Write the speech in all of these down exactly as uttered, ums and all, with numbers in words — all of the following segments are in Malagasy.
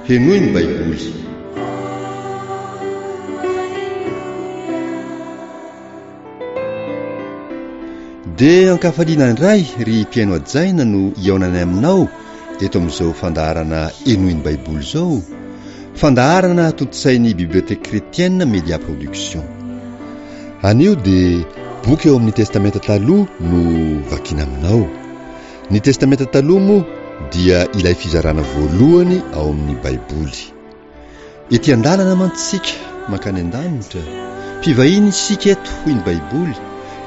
Henoy ny Baiboly. Dia ankafaliana indray ry mpihaino hajaina no hihaonanay aminao eto amin'izao fandaharana Henoy ny Baiboly izao, fandaharana tontosain'ny Bibliothèque Chrétienne Media Production. Anio dia boky eo amin'ny Testamenta Taloha no vakiana aminao. Ny Testamenta Taloha moa dia ilay fizarana voalohany ao amin'ny Baiboly. Ety an-dalana mantsy isika mankany an-danitra, mpivahiny isika eto hoy ny Baiboly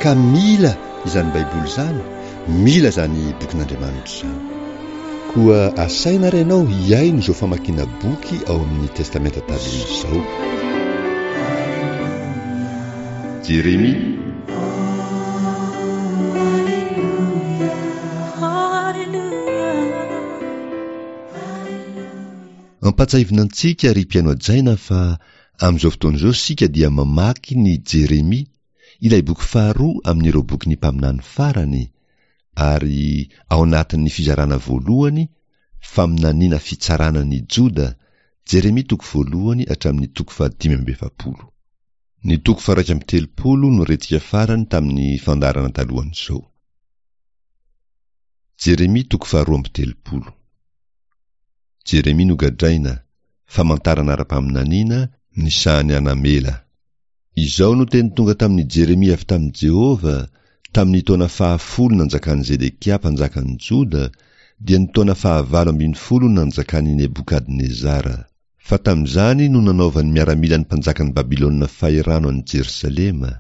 ka mila izany Baiboly izany, mila izany bokin'Andriamanitra izany. Koa asaina ary ianao hihaino izao famakiana boky ao amin'ny Testamenta Taloha izao. Jeremia. Ampatsahivina antsika ry mpihaino hajaina fa amin'izao fotoana izao isika dia mamaky ny Jeremia, ilay boky faharoa amin'ireo bokin'ny mpaminany farany, ary ao anatin'ny fizarana voalohany, faminaniana fitsarana ny Joda, Jeremia toko voalohany hatramin'ny toko fahadimy amby efapolo. Ny toko faha-iraika amby telopolo no rentsika farany tamin'ny fandaharana talohan'izao. Jeremia toko faharoa amby telopolo. Jeremia nogadraina, famantarana ara-paminaniana, ny sahan'i Anamela. Izao no teny tonga tamin'i Jeremia avy tamin'i Jehovah, tamin'ny taona fahafolo nanjakan'i Zedekia mpanjakan'i Joda, dia ny taona fahavalo ambin'ny folo nanjakan'i Nebokadnezara. Fa tamin'izany no nanaovan'ny miaramilan'ny mpanjakan'i Babylona fahirano an'i Jerosalema.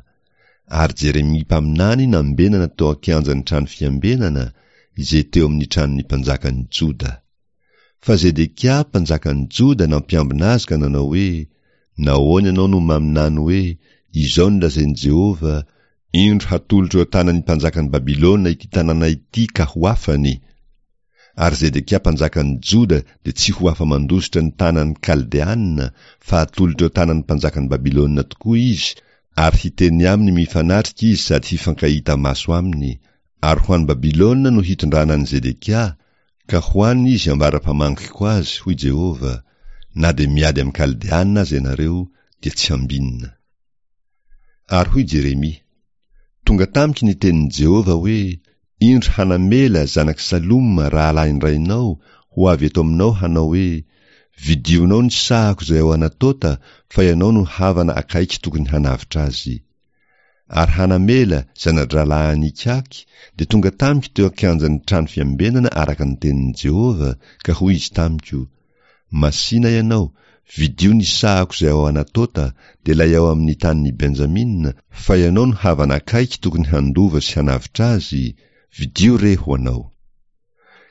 Ary Jeremia mpaminany nambenana tao an-kianjan'ny trano fiambenana, izay teo amin'ny tranon'ny mpanjakan'i Joda. Fa Zedekia, mpanjakan'i Joda, nampiambina azy ka nanao hoe, Nahoana ianao no maminany hoe, Izao no lazain'i Jehovah, Indro hatolotro eo an-tanan'ny mpanjakan'i Babylona ity tanàna ity ka ho afany? Ary Zedekia mpanjakan'i Joda dia tsy ho afa-mandositra ny tanan'ny Kaldeana, fa hatolotro eo an-tanan'ny mpanjakan'i Babylona tokoa izy, ary hiteny aminy mifanatrika izy sady hifankahita maso aminy, ary ho any Babylona no hitondrana an'i Zedekia, Ka ho any izy ambara-pamangiko azy, hoy Jehovah, na dia miady amin'ny Kaldeana aza ianareo, dia tsy hambinina. Ary hoy Jeremia, Tonga tamiko ny tenin'i Jehovah hoe, Indro Hanamela, zanak'i Saloma, rahalahin-drainao, ho avy eto aminao hanao hoe, Vidionao ny sahako izay ao Anatota, fa ianao no havana akaiky tokony hanavotra azy. Ary Hanamela, zana-drahalahin'Ikaky, dia tonga tamiko teo an-kianjan'ny trano fiambenana araka ny tenin'i Jehovah, ka hoy izy tamiko, Masìna ianao, vidio ny sahako izay ao Anatota, dia ilay ao amin'ny tanin'i Benjamina, fa ianao no havana akaiky tokony handova sy hanavotra azy, vidio re ho anao.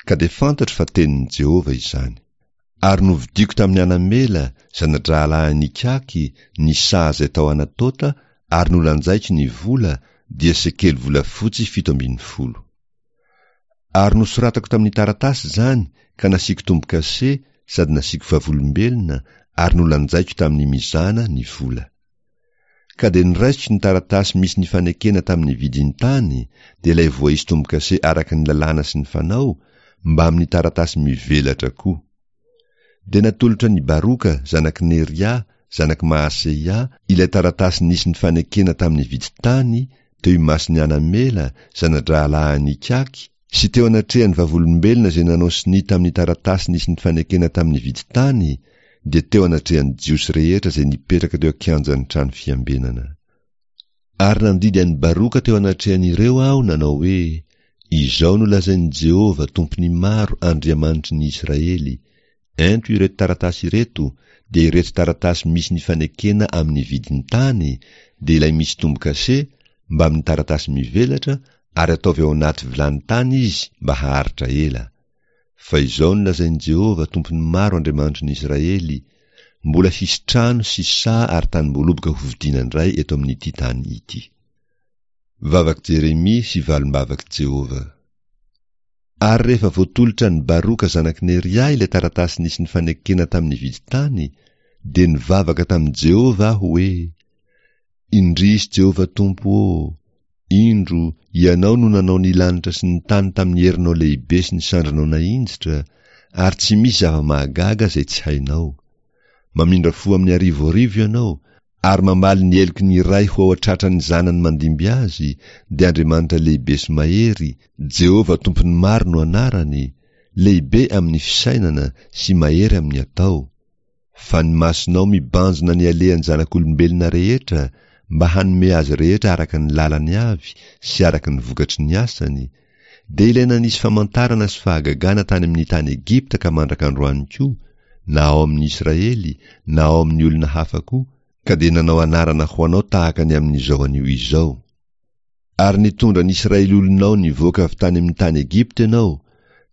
Ka dia fantatro fa tenin'i Jehovah izany. Ary novidiako tamin'i Anamela, zana-drahalahin'Ikaky, ny saha izay tao Anatota, ary nolanjaiko ny vola, dia sekely volafotsy fito ambin'ny folo. Ary nosoratako tamin'ny taratasy izany ka nasiako tombo-kase sady nasiako vavolombelona ary nolanjaiko tamin'ny mizana ny vola. Ka dia noraisiko ny taratasy misy ny fanekena tamin'ny vidin-tany, dia ilay voaisy tombo-kase araka ny lalàna sy ny fanao, mbamin'ny taratasy mivelatra koa. Dia natolotra an'i Baroka, zanak'i Neria, zanak'i Mahaseia, ilay taratasy nisy ny fanekena tamin'ny vidin-tany, teo imason'i Anamela, zana-drahalahin'Ikaky, sy teo anatrehan'ny vavolombelona izay nanao sonia tamin'ny taratasy nisy ny fanekena tamin'ny vidin-tany, dia teo anatrehan'ny Jiosy rehetra izay nipetraka teo an-kianjan'ny trano fiambenana. Ary nandidy an'i Baroka teo anatrehan'ireo aho nanao hoe, Izao no lazain'i Jehovah, Tompon'ny maro, Andriamanitry ny Israely, Ento ireto taratasy ireto, dia ireto taratasy misy ny fanekena amin'ny vidin-tany, dia ilay misy tombo-kase, mbamin'ny taratasy mivelatra, ary ataovy ao anaty vilany tany izy mba haharitra ela. Fa izao no lazain'i Jehovah, Tompon'ny maro Andriamanitry ny Israely, Mbola hisy trano sy saha ary tanim-boaloboka hovidiana indray eto amin'ity tany ity. Vavak'i Jeremia sy valim-bavak'i Jehovah. Ary rehefa voatolotra an'i Baroka zanak'i Neria ilay taratasy nisy ny fanekena tamin'ny vidin-tany, dia nivavaka tamin'i Jehovah aho hoe, Indrisy Jehovah Tompo ô! Indro, Ianao no nanao ny lanitra sy ny tany tamin'ny herinao lehibe sy ny sandrinao nahinjitra, ary tsy misy zava-mahagaga izay tsy hainao. Mamindra fo amin'ny arivoarivo Ianao, ary mamaly ny heloky ny ray ho ao an-tratran'ny zanany mandimby azy, dia Andriamanitra lehibe sy mahery, Jehovah Tompon'ny maro no anarany, lehibe amin'ny fisainana sy mahery amin'ny atao. Fa ny masonao mibanjina ny alehan'ny zanak'olombelona rehetra, mba hanome azy rehetra araka ny lalany avy sy araka ny vokatry ny asany, dia ilay nanisy famantarana sy fahagagana tany amin'ny tany Egypta ka mandraka androany koa, na ao amin'ny Israely, na ao amin'ny olona hafa koa, ka dia nanao anarana ho anao tahaka ny amin'izao anio izao. Ary nitondra ny Israely olonao nivoaka avy tany amin'ny tany Egypta ianao,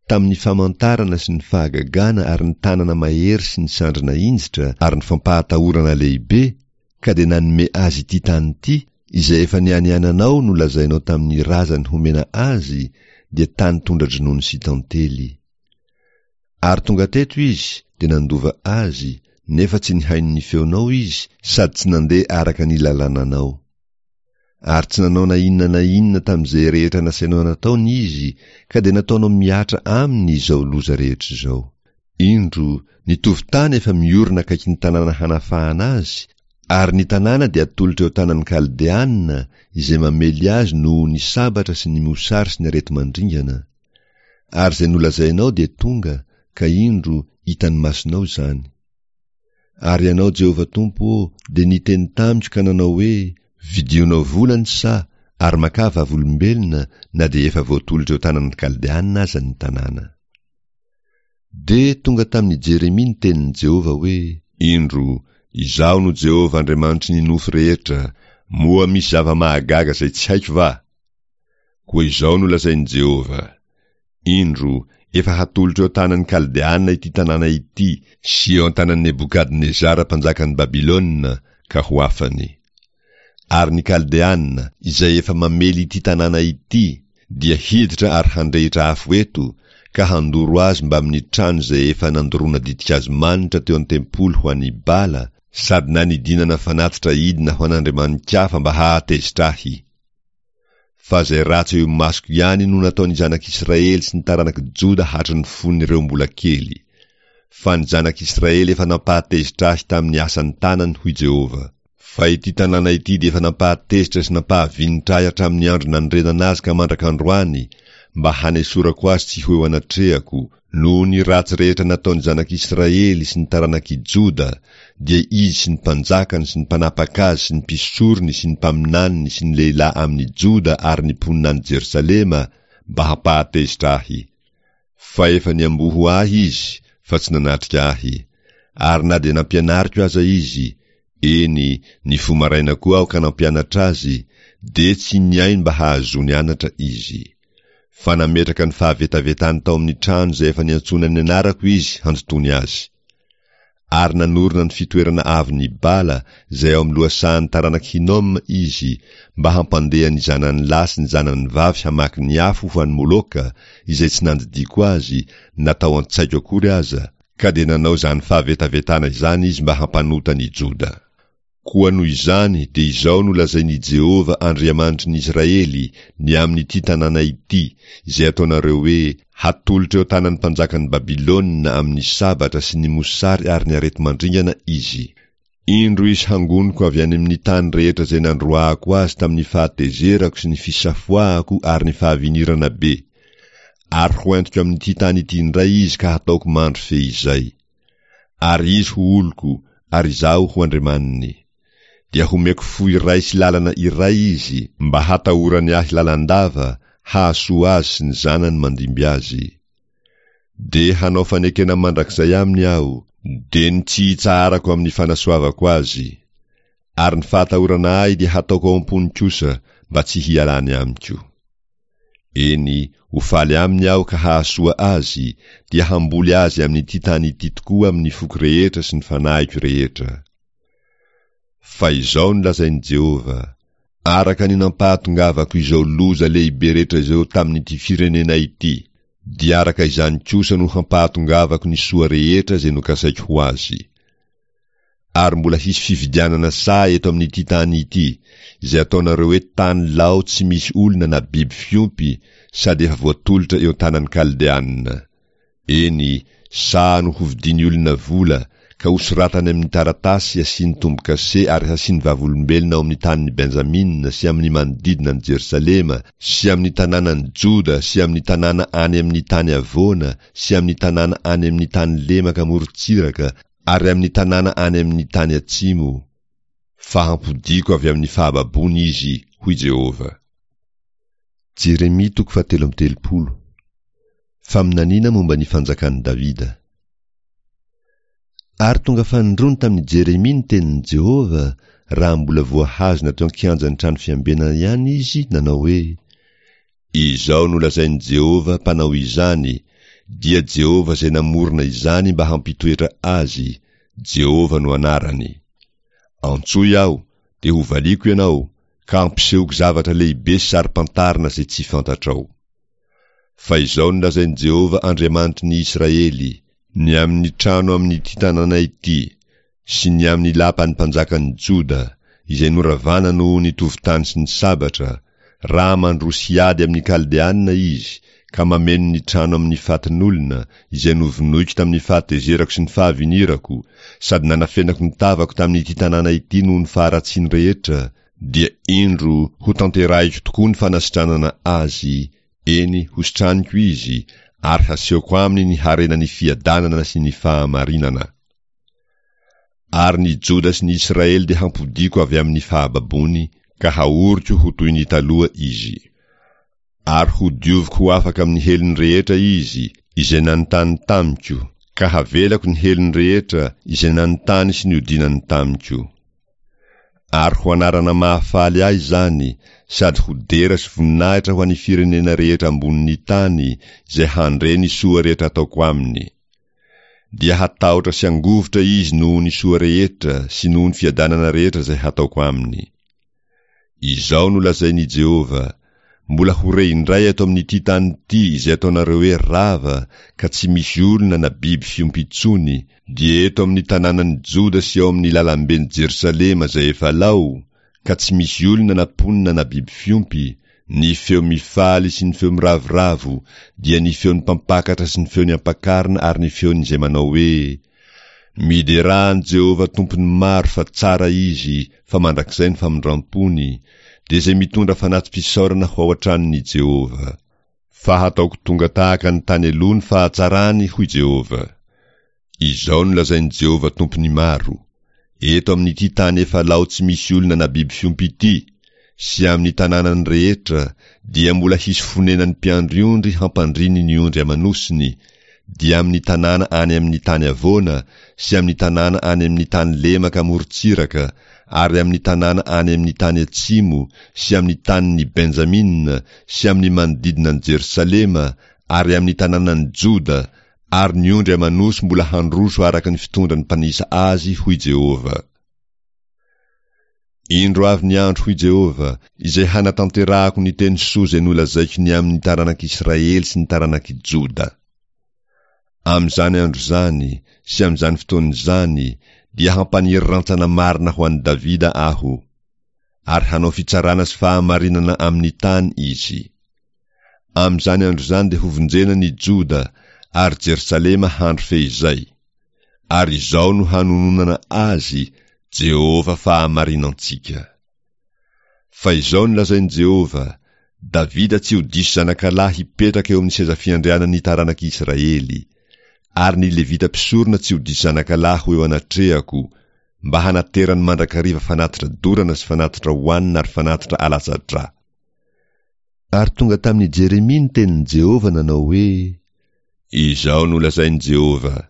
tamin'ny famantarana sy ny fahagagana ary ny tanana mahery sy ny sandry nahinjitra ary ny fampahatahorana lehibe, ka dia nanome azy ity tany ity, izay efa nianiananao nolazainao tamin'ny razany homena azy, dia tany tondra-dronono sy tantely. Ary tonga teto izy, dia nandova azy, nefa tsy nihaino ny feonao izy sady tsy nandeha araka ny lalànanao. Ary tsy nanao na inona na inona tamin'izay rehetra nasainao nataony izy, ka dia nataonao mihatra aminy izao loza rehetra izao. Indro, ny tovon-tany efa miorina akaikin'ny tanàna hanafahana azy, ary ny tanàna dia atolotra eo tanan'ny Kaldeana, izay mamely azy noho ny sabatra sy ny mosary sy ny areti-mandringana. Ary izay nolazainao dia tonga, ka indro, hitan'ny masonao izany. Ary Ianao, Jehovah Tompo ô, dia niteny tamiko ka nanao hoe, Vidionao vola ny saha, ary makà vavolombelona, na dia efa voatolotra eo tanan'ny Kaldeana aza ny tanàna. Dia tonga tamin'i Jeremia ny tenin'i Jehovah hoe, Indro, Izaho no Jehovah Andriamanitry ny nofo rehetra, moa misy zava-mahagaga izay tsy haiko va? Koa izao no lazain'i Jehovah, Indro, efa hatolotra eo an-tanan'ny Kaldeana ity tanàna ity sy eo an-tanan'i Nebokadnezara mpanjakan'i Babylona, ka ho afany. Ary ny Kaldeana, izay efa mamely ity tanàna ity, dia hiditra ary handrehitra afo eto, ka handoro azy mbamin'ny trano izay efa nandoroana ditin-kazo manitra teo an-tempoly ho an'i Bala, sady nanidinana fanatitra idina ho an'andriamani-kafa mba hahatezitra ahy. Fa izay ratsy eo imasoko ihany no nataon'ny zanak'Israely sy ny taranak'i Joda hatry ny fon'ireo mbola kely. Fa ny zanak'Israely efa nampahatezitra ahy tamin'ny asan'ny tanany, hoy Jehovah. Fa ity tanàna ity dia efa nampahatezitra sy nampahavinitra ahy hatramin'ny andro nanorenana azy ka mandrak'androany, mba hanesorako azy tsy ho eo anatrehako, noho ny ratsy rehetra nataon'ny zanak'Israely sy ny taranak'i Joda, dia izy sy ny mpanjakany sy ny mpanapaka azy sy ny mpisorony sy ny mpaminaniny sy ny lehilahy amin'ny Joda ary ny mponina any Jerosalema, mba hampahatezitra ahy. Fa efa niamboho ahy izy, fa tsy nanatrika ahy. Ary na dia nampianariko aza izy, eny, nifoha maraina koa aho ka nampianatra azy, dia tsy nihaino mba hahazoany anatra izy. Fa nametraka ny fahavetavetany tao amin'ny trano izay efa niantsoana ny anarako izy handotoany azy. Ary nanorina ny fitoerana avon'i Bala izay ao amin'ny lohasahan'ny taranak'i Hinoma izy, mba hampandeha ny zanany lahy sy ny zanany vavy hamaky ny afo ho an'i Moloka, izay tsy nandidiako azy, na tao an-tsaiko akory aza, ka dia nanao izany fahavetavetana izany izy mba hampanota ny Joda. Koa noho izany dia izao no lazain'i Jehovah Andriamanitry ny Israely ny amin'ity tanàna ity, izay ataonareo hoe, Hatolotra eo an-tanan'ny mpanjakan'i Babylona amin'ny sabatra sy ny mosary ary ny areti-mandringana izy. Indro izy hangoniko avy any amin'ny tany rehetra izay nandroahako azy tamin'ny fahatezerako sy ny fisafoahako ary ny fahavinirana be, ary hoentiko amin'ity tany ity indray izy ka hataoko mandry feizay. Ary izy ho oloko, ary izaho ho Andriamaniny. Dia homeko fo iray sy lalana iray izy, mba hatahorany ahy lalandava, hahasoa azy sy ny zanany mandimby azy. Dia hanao fanekena mandrakizay aminy aho, dia ny tsy hitsaharako amin'ny fanasoavako azy. Ary ny fahatahorana ahy dia hataoko ao am-pony kosa, mba tsy hialany amiko. Eny, ho faly aminy aho ka hahasoa azy, dia hamboly azy amin'ity tany ity tokoa amin'ny foko rehetra sy ny fanahiko rehetra. Fa izao no lazain'i Jehovah, Araka ny nampahatongavako izao loza lehibe rehetra izao tamin'ity firenena ity, dia araka izany kosa no hampahatongavako ny soa rehetra izay nokasaiko ho azy. Ary mbola hisy fividianana saha eto amin'ity tany ity, izay ataonareo hoe tany lao tsy misy olona na biby fiompy, sady efa voatolotra eo an-tanan'ny Kaldeana. Eny, Saha no hovidian'ny olona vola, ka hosoratany amin'ny taratasy hasiany tombo-kase ary hasiany vavolombelona ao amin'ny tanin'i Benjamina sy amin'ny manodidina an'i Jerosalema sy amin'ny tanànan'i Joda sy amin'ny tanàna any amin'ny tany havoana sy amin'ny tanàna any amin'ny tany lemaka morontsiraka ary amin'ny tanàna any amin'ny tany atsimo, fa hampodiako avy amin'ny fahababoana izy, hoy Jehovah. Jeremia toko fahatelo amby telopolo. Faminaniana momba ny fanjakan'i Davida. Ary tonga fanindroany tamin'i Jeremia ny tenin'i Jehovah, raha mbola voahazona teo an-kianjan'ny trano fiambenana ihany izy, nanao hoe, Izao no lazain'i Jehovah, Mpanao izany, dia Jehovah izay namorona izany mba hampitoetra azy, Jehovah no anarany. Antsoy aho, dia hovaliako ianao, ka hampisehoko zavatra lehibe sy saro-pantarina izay tsy fantatrao. Fa izao no lazain'i Jehovah Andriamanitry ny Israely, ny amin'ny trano amin'ity tanàna ity, sy ny amin'ny lapan'ny mpanjakan'ny Joda, izay noravana noho ny tovon-tany sy ny sabatra, raha mandroso hiady amin'ny Kaldeana izy, ka mameno ny trano amin'ny fatin'olona, izay novonoiko tamin'ny fahatezerako sy ny fahavinirako, sady nanafenako ny tavako tamin'ity tanàna ity noho ny faharatsiany rehetra, dia indro hotanterahiko tokoa ny fanasitranana azy, eny, hositraniko izy, ary hasehoko aminy ny harenan'ny fiadanana sy ny fahamarinana. Ary ny Joda sy ny Israely dia hampodiako avy amin'ny fahababoany, ka haoriko ho toy ny taloha izy. Ary hodioviko ho afaka amin'ny helony rehetra izy, izay nanontany tamiko, ka havelako ny helony rehetra, izay nanontany sy niodinany tamiko. Ary ho anarana mahafaly ahy izany, sady ho dera sy voninahitra ho an'ny firenena rehetra ambonin'ny tany, izay handre ny soa rehetra ataoko aminy. Dia hatahotra sy hangovitra izy noho ny soa rehetra sy noho ny fiadanana rehetra izay hataoko aminy. Izao no lazain'i Jehovah, Mbola ho re indray eto amin'ity tany ity izay ataonareo hoe rava, ka tsy misy olona na biby fiompy intsony, dia eto amin'ny tanànan'i Joda sy ao amin'ny lalamben'i Jerosalema izay efa lao, ka tsy misy olona na mponina na biby fiompy, ny feo mifaly sy ny feo miravoravo, dia ny feon'ny mpampakatra sy ny feon'ny ampakarina ary ny feon'izay manao hoe, Miderà an'i Jehovah Tompon'ny maro fa tsara Izy, fa mandrakizay ny famindram-pony, dia izay mitondra fanati-pisaorana ho ao an-tranon'i Jehovah. Fa hataoko tonga tahaka ny tany aloha ny fahatsarany, hoy Jehovah. Izao no lazain'i Jehovah Tompon'ny maro, Eto amin'ity tany efa lao tsy misy olona na biby fiompy ity, sy amin'ny tanànany rehetra, dia mbola hisy fonenan'ny mpiandry ondry hampandriny ny ondry aman'osiny, dia amin'ny tanàna any amin'ny tany havoana sy amin'ny tanàna any amin'ny tany lemaka amorontsiraka ary amin'ny tanàna any amin'ny tany atsimo sy amin'ny tanin'i Benjamina sy amin'ny manodidina an'i Jerosalema ary amin'ny tanànan'i Joda, ary ny ondry aman'osy mbola handroso araka ny fitondran'ny mpanisa azy, hoy Jehovah. Indro avy ny andro, hoy Jehovah, izay hanatanterahako ny teny soa izay nolazaiko ny amin'ny taranak'Israely sy ny taranak'i Joda. Amin'izany andro izany sy amin'izany fotoana izany dia hampaniry rantsana marina ho an'i Davida Aho, ary hanao fitsarana sy fahamarinana amin'ny tany izy. Amin'izany andro izany dia hovonjena ny Joda, ary Jerosalema handry feizay. Ary izao no hanononana azy, Jehovah fahamarinantsika. Fa izao no lazain'i Jehovah, Davida tsy ho diso zanakalahy hipetraka eo amin'ny seza fiandrianan'ny taranak'i Israely, ary ny Levita mpisorona tsy ho diso zanakalahy ho eo anatrehako, mba hanaterany mandrakariva fanatitra dorana sy fanatitra hohanina ary fanatitra alatsa-drà. Ary tonga tamin'i Jeremia ny tenin'i Jehovah nanao hoe, Izao no lazain'i Jehovah,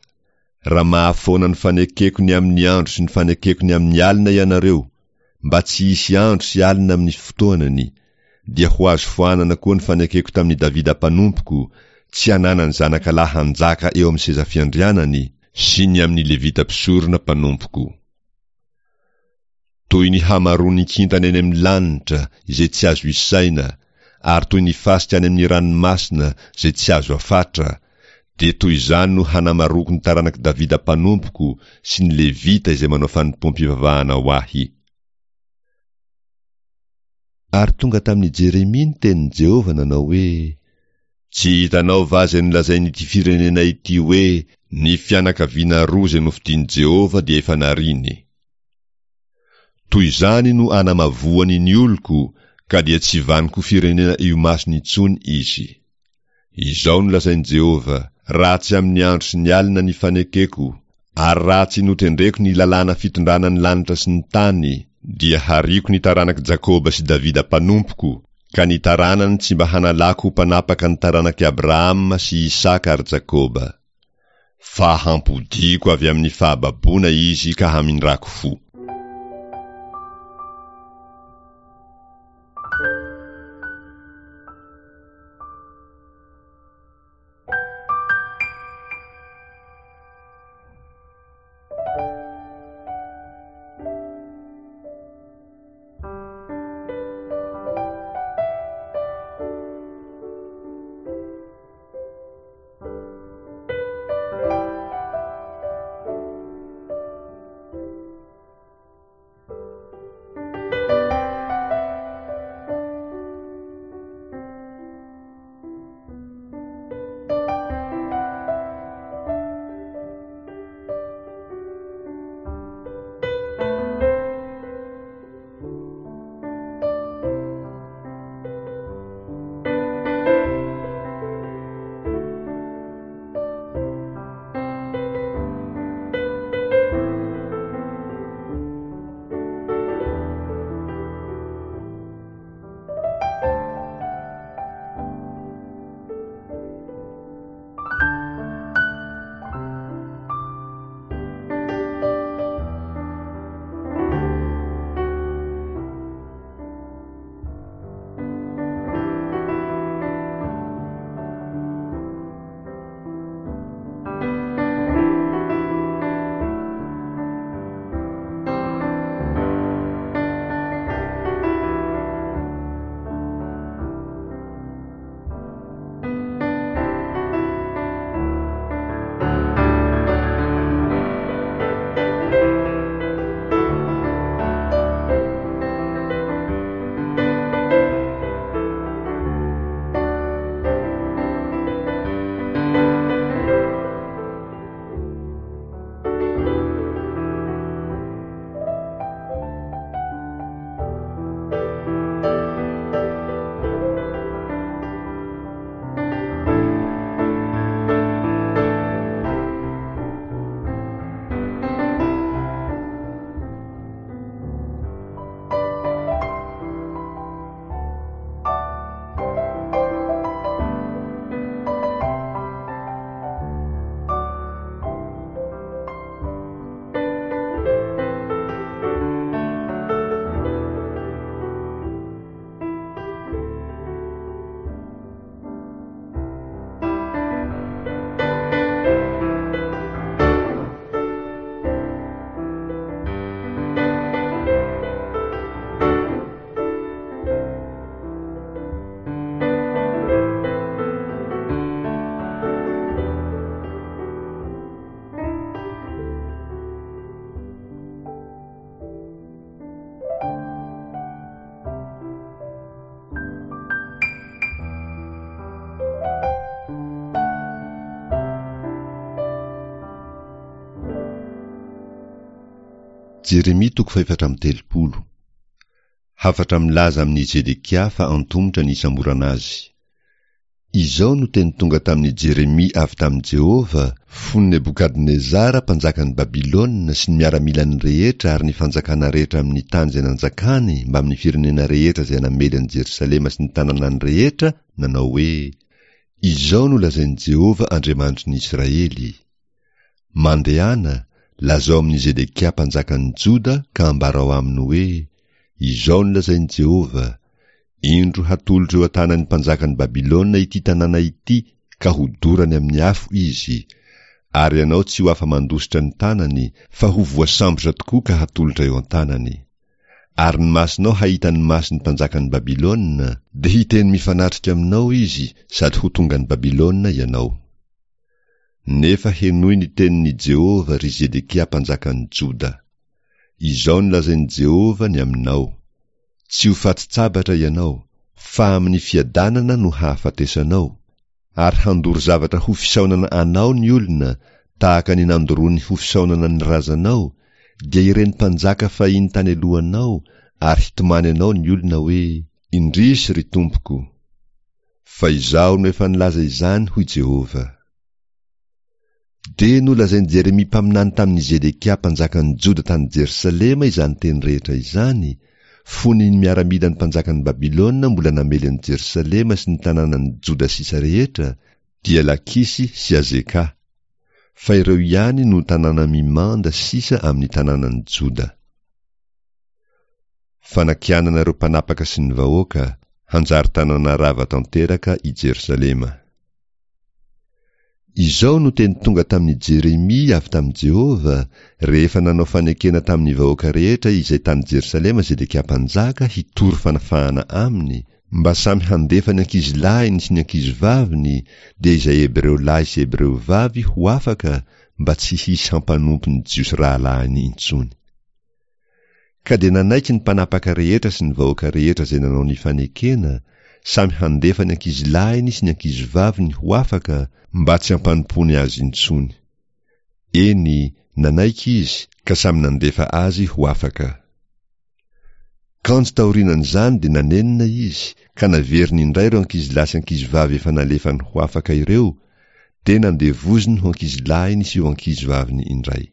Raha mahafoana ny fanekeko ny amin'ny andro sy ny fanekeko ny amin'ny alina ianareo, mba tsy hisy andro sy alina amin'ny fotoanany, dia ho azo foanana koa ny fanekeko tamin'i Davida mpanompoko, tsy hananany zanakalahy hanjaka eo amin'ny seza fiandrianany, sy ny amin'ny Levita mpisorona mpanompoko. Toy ny hamaroan'ny kintana eny amin'ny lanitra izay tsy azo isaina, ary toy ny fasika any amin'ny ranomasina izay tsy azo afatra, dia toy izany no hanamaroako ny taranak'i Davida mpanompoko sy ny Levita izay manao fanompoam-pivavahana ho ahy. Ary tonga tamin'i Jeremia ny tenin'i Jehovah nanao hoe, Tsy hitanao va izay nolazain'ity firenena ity hoe, Ny fianakaviana roa izay nofidin'i Jehovah dia efa nariany. Toy izany no anamavoany ny oloko, ka dia tsy vaniko firenena eo imasony intsony izy. Izao no lazain'i Jehovah, Raha tsy amin'ny andro sy ny alina ny fanekeko, ary raha tsy notendreko ny lalàna fitondrana ny lanitra sy ny tany, dia hariako ny taranak'i Jakoba sy Davida mpanompoko, ka ny taranany tsy mba hanalako ho mpanapaka ny taranak'i Abrahama sy Isaka ary Jakoba. Fa hampodiako avy amin'ny fahababoana izy ka hamindrako fo. Jeremia toko fahefatra amby telopolo. Hafatra milaza amin'i Zedekia fa antomotra ny hisamborana azy. Izao no teny tonga tamin'i Jeremia avy tamin'i Jehovah, fony Nebokadnezara mpanjakan'i Babylona sy ny miaramilany rehetra ary ny fanjakana rehetra amin'ny tany izay nanjakany mbamin'ny firenena rehetra izay namely an'i Jerosalema sy ny tanànany rehetra, nanao hoe, Izao no lazain'i Jehovah Andriamanitry ny Israely, Mandehana, lazao amin'i Zedekia mpanjakan'i Joda ka ambarao aminy hoe, Izao no lazain'i Jehovah, Indro hatolotro eo an-tanan'ny mpanjakan'i Babylona ity tanàna ity ka hodorany amin'ny afo izy, ary ianao tsy ho afa-mandositra ny tanany, fa ho voasambotra tokoa ka hatolotra eo an-tanany. Ary ny masonao hahita ny mason'ny mpanjakan'i Babylona, dia hiteny mifanatrika aminao izy sady ho tonga any Babylona ianao. Nefa henoy ny tenin'i Jehovah, ry Zedekia mpanjakan'i Joda. Izao no lazain'i Jehovah ny aminao, Tsy ho fatin-tsabatra ianao, fa amin'ny fiadanana no hahafatesanao, ary handoro zavatra ho fisaonana anao ny olona tahaka ny nandoroany ho fisaonana ny razanao, dia ireny mpanjaka fahiny tany alohanao, ary hitomany anao ny olona hoe, Indrisy, ry tompoko! Fa izaho no efa nilaza izany, hoy Jehovah. Dia nolazain'i Jeremia mpaminany tamin'i Zedekia mpanjakan'ny Joda tany Jerosalema izany teny rehetra izany, fony ny miaramilan'ny mpanjakan'i Babylona mbola namely an'i Jerosalema sy ny tanànan'ny Joda sisa rehetra, dia Lakisy sy Azeka. Fa ireo ihany no tanàna mimanda sisa amin'ny tanànan'ny Joda. Fanakianana ireo mpanapaka sy ny vahoaka, hanjary tanàna rava tanteraka i Jerosalema. Izao no teny tonga tamin'i Jeremia avy tamin'i Jehovah, rehefa nanao fanekena tamin'ny vahoaka rehetra izay tany Jerosalema Zedekia mpanjaka hitory fanafahana aminy, mba samy handefa ny ankizilahiny sy ny ankizivaviny, dia izay Hebreo lahy sy Hebreo vavy ho afaka, mba tsy hisy hampanompo ny Jiosy rahalahiny intsony. Ka dia nanaiky ny mpanapaka rehetra sy ny vahoaka rehetra izay nanao ny fanekena, samy handefa ny ankizilahiny sy ny ankizivaviny ho afaka, mba tsy hampanompoany azy intsony. Eny, nanaiky izy, ka samy nandefa azy ho afaka. Kanjo taorianan'izany dia nanenina izy, ka naveriny indray ireo ankizilahy sy ankizivavy efa nalefany ho afaka ireo, dia nandevoziny ho ankizilahiny sy ho ankizivaviny indray.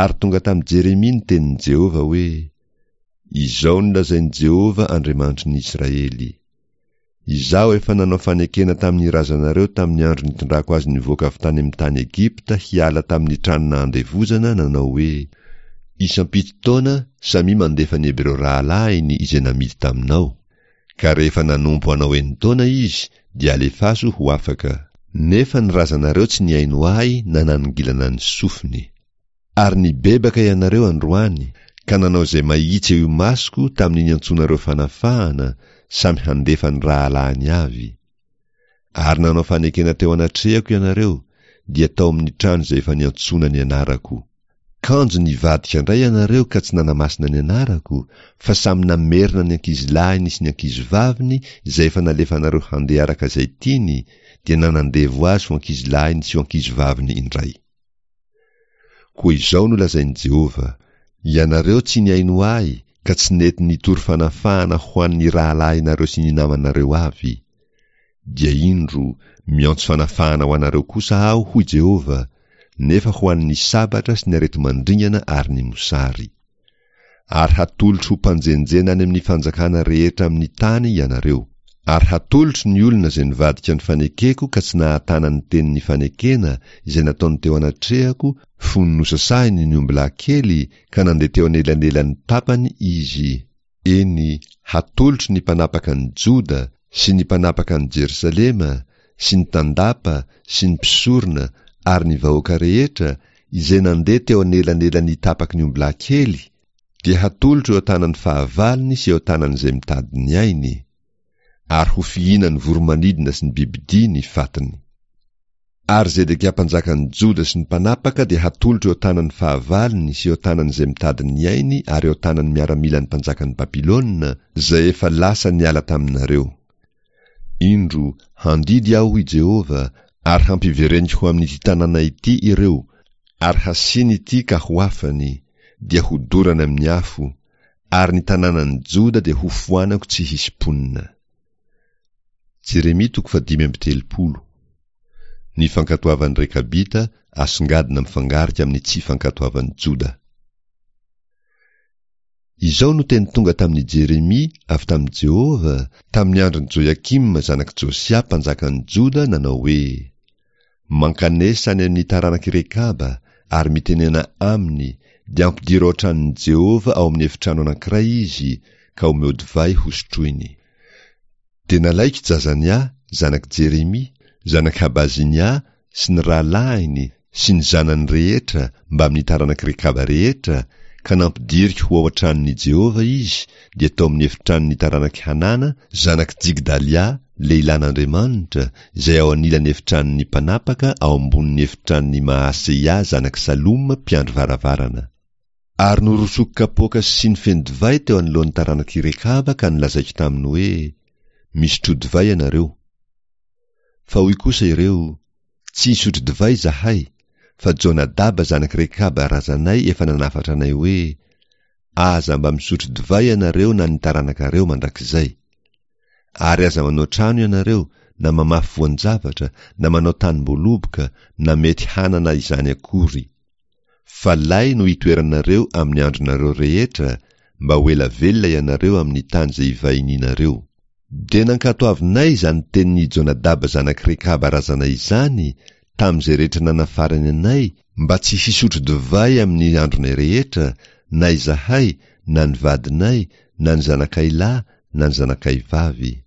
Ary tonga tamin'i Jeremia ny tenin'i Jehovah hoe, Izao no lazain'i Jehovah Andriamanitry ny Israely, Izaho efa nanao fanekena tamin'ny razanareo tamin'ny andro nitondrako azy nivoaka avy tany amin'ny tany Egypta hiala tamin'ny trano nahandevozana, nanao hoe, Isam-pito taona samia mandefa ny Hebreo rahalahiny izay namidy taminao, ka rehefa nanompo anao enin-taona izy, dia alefaso ho afaka. Nefa ny razanareo tsy nihaino ahy na nanongilana ny sofiny. Ary nibebaka ianareo androany, ka nanao izay mahitsy eo imasoko tamin'ny niantsoanareo fanafahana, samy handefa ny rahalahiny avy. Ary nanao fanekena teo anatrehako ianareo, dia tao amin'ny trano izay efa niantsoana ny anarako. Kanjo nivadika indray ianareo ka tsy nanamasina ny anarako, fa samy namerina ny ankizilahiny sy ny ankizivaviny izay efa nalefanareo handeha araka izay tiany, dia nanandevo azy ho ankizilahiny sy ho ankizivaviny indray. Koa izao no lazain'i Jehovah, Ianareo tsy nihaino ahy ka tsy nety nitory fanafahana ho an'ny rahalahinareo sy ny namanareo avy. Dia indro, miantso fanafahana ho anareo kosa aho, hoy Jehovah, nefa ho an'ny sabatra sy ny areti-mandringana ary ny mosary. Ary hatolotro ho mpanjenjena any amin'ny fanjakana rehetra amin'ny tany ianareo. Ary hatolotro ny olona izay nivadika ny fanekeko ka tsy nahatana ny tenin'ny fanekena izay nataony teo anatrehako fony nosasahiny ny ombilahy kely ka nandeha teo anelanelan'ny tapany izy, eny, hatolotro ny mpanapaka an'i Joda sy ny mpanapaka an'i Jerosalema sy ny tandapa sy ny mpisorona ary ny vahoaka rehetra izay nandeha teo anelanelan'ny tapaky ny ombilahy kely, dia hatolotro eo an-tanan'ny fahavalony sy eo an-tanan'izay mitady ny ainy, ary ho fihinan'ny voro-manidina sy ny bibidia ny fatiny. Ary Zedekia mpanjakan'ny Joda sy ny mpanapaka dia hatolotro eo an-tanan'ny fahavalony sy eo an-tanan'izay mitady ny ainy ary eo an-tanan'ny miaramilan'ny mpanjakan'i Babylona, izay efa lasa niala taminareo. Indro, handidy aho, hoy Jehovah, ary hampivereniko ho amin'ity tanàna ity ireo, ary hasiany ity ka ho afany, dia hodorany amin'ny afo, ary ny tanànan'i Joda dia hofoanako tsy hisy mponina. Jeremia toko fahadimy amby telopolo. Ny fankatoavan'ny Rekabita asongadina mifangarika amin'ny tsy fankatoavan'i Joda. Izao no teny tonga tamin'i Jeremia avy tamin'i Jehovah, tamin'ny andron'i Joiakima zanak'i Josia mpanjakan'i Joda, nanao hoe, Mankanesa any amin'ny taranak'i Rekaba, ary mitenena aminy, dia ampidiro ao an-tranon'i Jehovah ao amin'ny efitrano anankiray izy, ka omeo divay hosotroiny. Dia nalaiko Jazania, zanak'i Jeremia, zanak'i Habazinia, sy ny rahalahiny, sy ny zanany rehetra, mbamin'ny taranak'i Rekaba rehetra, ka nampidiriko ho ao an-tranon'i Jehovah izy, dia tao amin'ny efitranon'ny taranak'i Hanana, zanak'i Jigdalia, lehilahin'Andriamanitra, izay ao anilan'ny efitranon'ny mpanapaka, ao ambonin'ny efitranon'i Maaseia zanak'i Saloma, mpiandry varavarana. Ary norosoko kapoaka sy siny feno divay teo anoloan'ny taranak'i Rekaba ka nolazaiko taminy hoe, Misotroa divay ianareo. Fa hoy kosa ireo, Tsy hisotro divay izahay, fa Jonadaba zanak'i Rekaba razanay efa nanafatra anay hoe, Aza mba misotro divay ianareo na ny taranakareo mandrakizay. Ary aza manao trano ianareo, na mamafy voan-javatra, na manao tanim-boaloboka, na mety hanana izany akory. Fa lay no itoeranareo amin'ny andronareo rehetra, mba ho ela velona ianareo amin'ny tany izay ivahinianareo. Dia nankatoavinay izany tenin'i Jonadaba zanak'i Rekaba razanay izany tamin'izay rehetra nanafarany anay mba tsy hisotro divay amin'ny andronay rehetra, na izahay, na ny vadinay, na ny zanakay lahy, na ny zanakay vavy.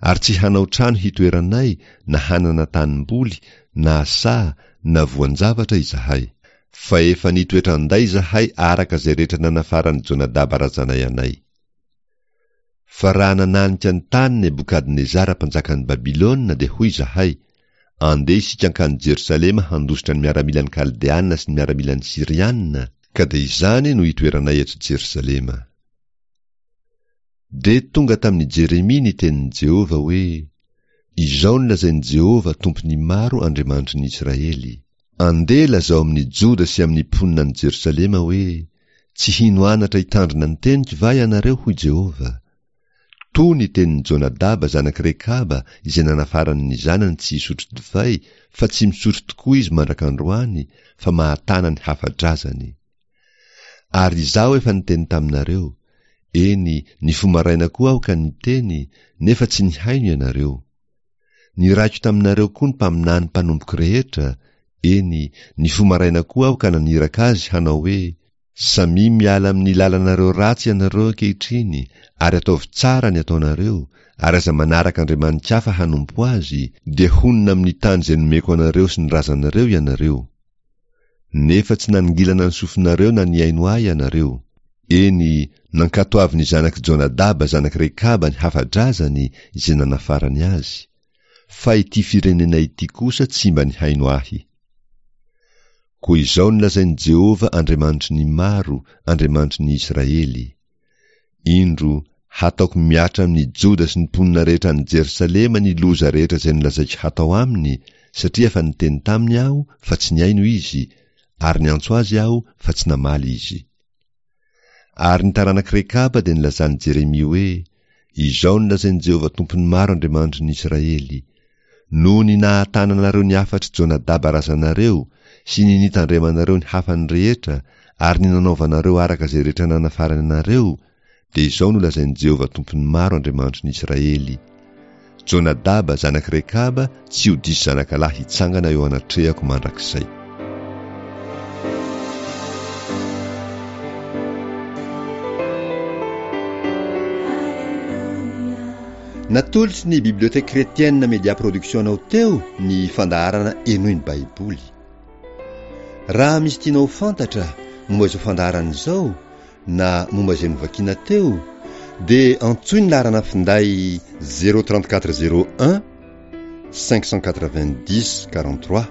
Ary tsy hanao trano hitoeranay, na hanana tanimboly, na saha, na voan-javatra izahay. Fa efa nitoetra an-day izahay araka izay rehetra nanafaran'i Jonadaba razanay anay. Fa raha nananika ny tany Nebokadnezara mpanjakan'i Babylona, dia hoy izahay, Andeha isika hankany Jerosalema handositra ny miaramilan'ny Kaldeana sy ny miaramilan'ny Syriana, ka dia izany no hitoeranay eto Jerosalema. Dia tonga tamin'i Jeremia ny tenin'i Jehovah hoe, Izao no lazain'i Jehovah Tompon'ny maro Andriamanitry ny Israely, Andeha lazao amin'ny Joda sy amin'ny mponina any Jerosalema hoe, Tsy hino anatra hitandrina ny teniko va ianareo, hoy Jehovah? Toa ny tenin'i Jonadaba zanak'i Rekaba izay nanafarany ny zanany tsy hisotro divay, fa tsy misotro tokoa izy mandrak'androany, fa mahatana ny hafa-drazany. Ary izaho efa niteny taminareo, eny, nifoha maraina koa aho ka niteny, nefa tsy nihaino ianareo. Niraiko taminareo koa ny mpaminany mpanompoko rehetra, eny, nifoha maraina koa aho ka naniraka azy hanao hoe, Samia miala amin'ny lalanareo ratsy ianareo ankehitriny, ary ataovy tsara ny ataonareo, ary aza manaraka andriamani-kafa hanompo azy, dia honina amin'ny tany izay nomeko anareo sy ny razanareo ianareo. Nefa tsy nanongilana ny sofinareo na nihaino ahy ianareo. Eny, nankatoavin'ny zanak'i Jonadaba zanak'i Rekaba ny hafa-drazany izay nanafarany azy. Fa ity firenena ity kosa tsy mba nihaino ahy. Koa izao no lazain'i Jehovah Andriamanitry ny maro, Andriamanitry ny Israely, Indro, hataoko mihatra amin'i Joda sy ny mponina rehetra any Jerosalema ny loza rehetra izay nolazaiko hatao aminy, satria efa niteny taminy Aho, fa tsy nihaino izy, ary niantso azy Aho, fa tsy namaly izy. Ary ny taranak'i Rekaba dia nilazan'i Jeremia hoe, Izao no lazain'i Jehovah Tompon'ny maro Andriamanitry ny Israely, Noho ny nahatananareo ny hafatr'i Jonadaba razanareo, sy ny nitandremanareo ny hafany rehetra, ary ny nanaovanareo araka izay rehetra nanafarany anareo, dia izao no lazain'i Jehovah Tompon'ny maro Andriamanitry ny Israely, Jonadaba, zanak'i Rekaba, tsy ho diso zanakalahy hitsangana eo anatrehako mandrakizay. Natolotry ny Bibliothèque Chrétienne Media Production anao teo ny fandaharana Henoy ny Baiboly. Raha misy tianao ho fantatra momba izao fandaharana izao na momba izay novakiana teo dia antsoy ny laharana finday zéro trente quatre zéro un cinq cent quatre-vingt-dix quarante-trois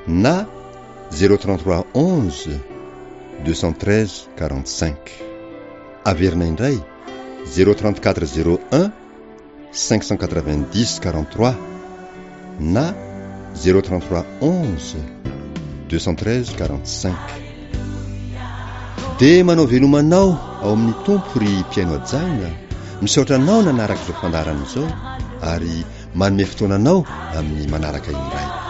na zéro trente-trois onze deux cent treize quarante-cinq. Averina indray zéro trente-quatre zéro un cinq cent quatre-vingt-dix quarante-trois na zéro trente-trois onze deux cent treize quarante-cinq. Dia manao veloma anao ao amin'ny Tompo ry mpihaino hajaina, misaotra anao nanaraka izao fandaharana izao ary manome fotoana anao amin'ny manaraka indray.